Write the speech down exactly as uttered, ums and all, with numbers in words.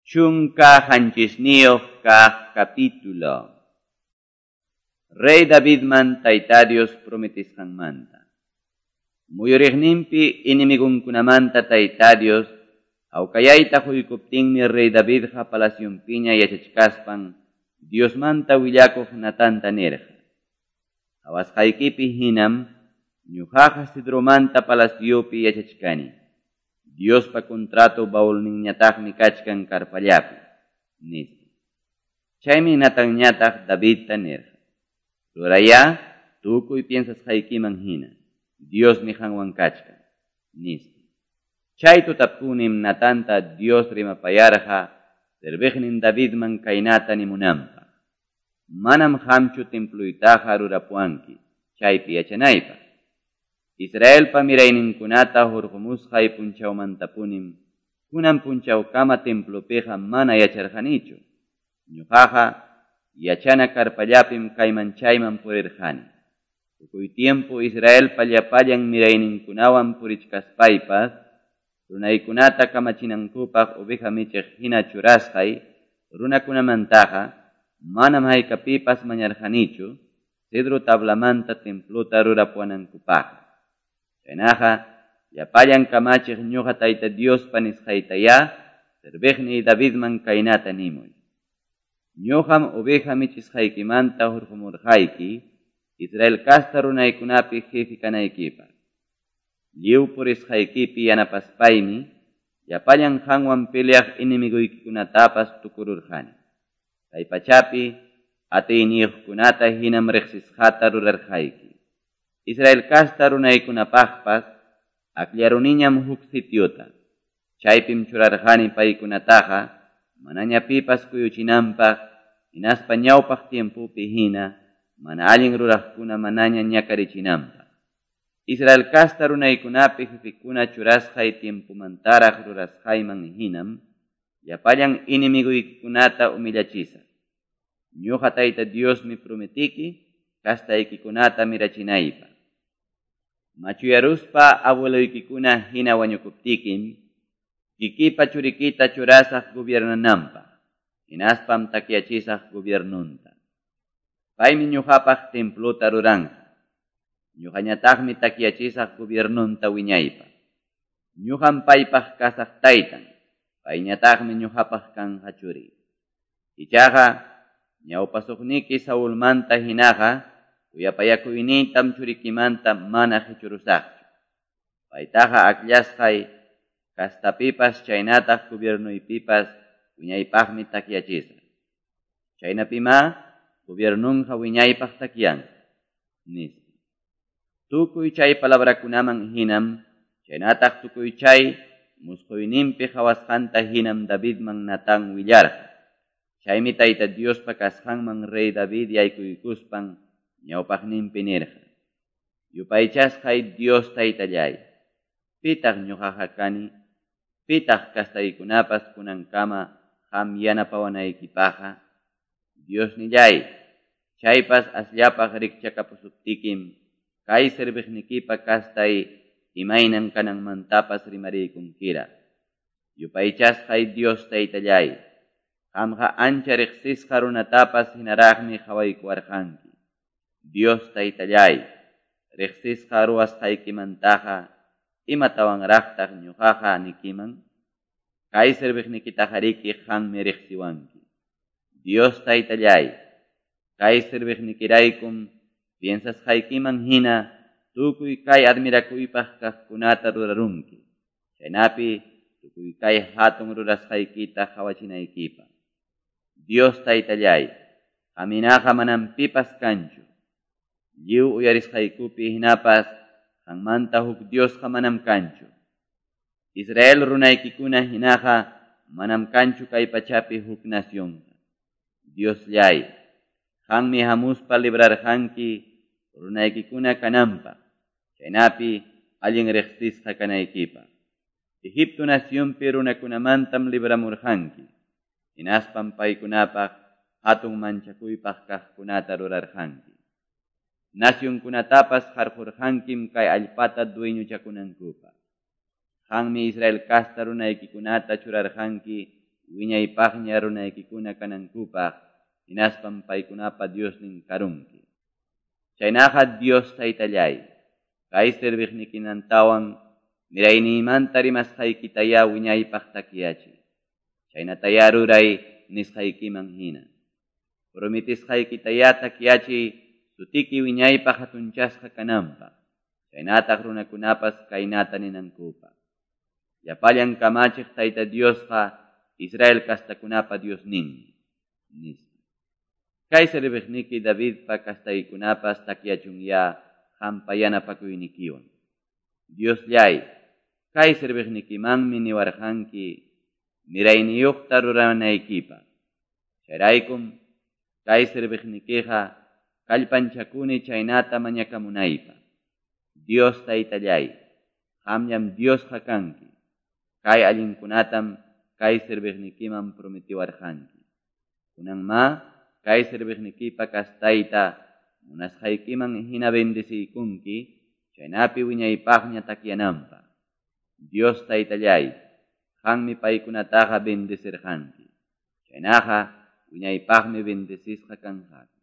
Chunka qanchisniyuq kaq capítulo. Rey Davidman Tayta Dios prometisqanmanta. Muyuriqninpi enemigunkunamanta Tayta Dios hawkayayta quykuptinmi Rey Davidqa palacionpiña yachachkaspan Diosmanta willakuq Natanta nirqa. Qawasqaykipi hinam ñuqaqa Cedromanta palaciopi yachachkani. Diospa contrato baulninñataqmi kachkan karpallapi, nispa. Chaymi Natanñataq Davidta nirqa. Rurayá tukuy piensasqaykiman hina, Diosmi qanwan kachkan, nispa. Chay tutapunim Natanta Dios rimapayarqa serviqnin Davidman kaynata nimunanpaq. Manam qamchu templuytaqa rurapuwanki, chaypi yachanaypaq. Israelpa mirayninkunata hurqumusqay punchawmantapunim kunan punchawkama templopiqa mana yacharqanichu. Ñuqaqa yachana karpallapim kayman chayman purirqani. Tukuy tiempo Israelpa llapallan mirayninkunawan purichkaspaypas runaykunata kamachinankupaq oveja michiq hina churasqay runakunamantaqa manam haykapipas mañarqanichu cedro tablamanta templota rurapuwanankupaq. Chaynaqa llapallan kamachiq ñuqa Tayta Diospa nisqaytayá serviqniy Davidman kaynata nimuy. Ñuqam oveja michisqaykimanta hurqumurqayki Israel kasta runaykunapi jefe kanaykipaq. Lliw purisqaykipi yanapaspaymi llapallan qanwan peleaq enemiguykikunatapas tukururqani. Kay pachapi atiyniyuqkunata hinam riqsisqata rurarqayki. Israel kasta runaykunapaqpas akllaruniñam huk sitiota. Chaypim churarqani paykunataqa manaña pipas kuyuchinanpaq hinaspa ñawpaq tiempopi hina mana allin ruraqkuna manaña ñakarichinanpaq. Israel kasta runaykunapi jefekuna churasqay tiempomantaraq rurasqayman hinam llapallan enemiguykikunata humillachisaq. Ñuqa Tayta Diosmi prometiki kastaykikunata mirachinaypaq. Machuyaruspa abueloykikuna hina wañukuptikim, kikipa churikita churasaq gobiernananpaq, hinaspam takyachisaq gobiernunta. Paymi ñuqapaq templota ruranqa, ñuqañataqmi takyachisaq gobiernunta wiñaypaq. Ñuqam paypaq kasaq taytan, payñataqmi ñuqapaq kanqa churi. Ichaqa ñawpasuqniki Saulmanta hinaqa kuyapayakuynintam churikimanta mana qichurusaqchu. Paytaqa akllasqay kastapipas chaynataq gobiernuypipas wiñaypaqmi takyachisaq. Chaynapimá gobiernunqa wiñaypaq takyanqa, nispa. Tukuy chay palabrakunaman hinam, chaynataq tukuy chay musquyninpi qhawasqanta hinam Davidman Natán willarqa. Chaymi Tayta Diospa kasqanman rey David yaykuykuspan ñawpaqninpi nirqa. Yupaychasqay Dios Taytallay, pitaq ñuqaqa kani, pitaq kastaykunapas kunankama qam yanapawanaykipaqqa. Diosnillay, chaypas asllapaq rikchakapusuptikim, kay serviqnikipa kastay imaynan kananmantapas rimariykunkiraq. Yupaychasqay Dios Taytallay, qamqa ancha riqsisqa runatapas hinaraqmi qhawaykuwarqanki. Dios Taytallay, riqsisqa ruwasqaykimantaqa imatawanraqtaq ñuqaqa nikiman? Kay serviqnikitaqariki qammi riqsiwanki. Dios Taytallay, kay serviqnikiraykum piensasqaykiman hina tukuy kay admirakuypaq kaqkunata rurarunki. Chaynapi tukuy kay hatun rurasqaykita qhawachinaykipaq. Dios Taytallay, qaminaqa manam pipas kanchu. Lliw uyarisqaykupi hinapas qanmanta huk Diosqa manam kanchu. Israel runaykikuna hinaqa manam kanchu kay pachapi huk nacionqa. Diosllay, qanmi hamuspa librarqanki runaykikuna kananpaq, chaynapi allin riqsisqa kanaykipaq. Egipto nacionpi runakunamantam libramurqanki, hinaspam paykunapaq hatun manchakuypaq kaqkunata rurarqanki. Nacionkunatapas qarqurqankim kay allpata dueñochakunankupaq. Qanmi Israel kasta runaykikunata churarqanki wiñaypaqña runaykikuna kanankupaq hinaspam paykunapa Diosnin karunki. Chaynaqa Dios Taytalláy, kay serviqnikimantawan mirayniymanta rimasqaykitayá wiñaypaq takyachiy. Chaynatayá ruray nisqaykiman hina. Prometesqaykitayá takyachiy sutiki wiñaypaq hatunchasqa kananpaq. Chaynataq runakunapas kaynata ninankupaq. Llapallan kamachiq Tayta Diosqa Israel kastakunapa Diosninmi, nispa. Kay serviqniki Davidpa kastaykunapas takyachunyá qampa yanapakuynikiwan. Diosllay, kay serviqnikimanmi niwarqanki mirayniyuqta ruranaykipaq. Chayraykum kay serviqnikiqa kallpanchakuni chaynata mañakamunaypaq. Dios Taytallay, qamllam Diosqa kanki. Kay allinkunatam kay serviqnikiman prometiwarqanki. Kunanmá kay serviqnikipa kastayta munasqaykiman hina bendeciykunki, chaynapi wiñaypaqña takyananpaq. Dios Taytallay, qammi paykunataqa bendecirqanki. Chaynaqa wiñaypaqmi bendecisqa kanqaku.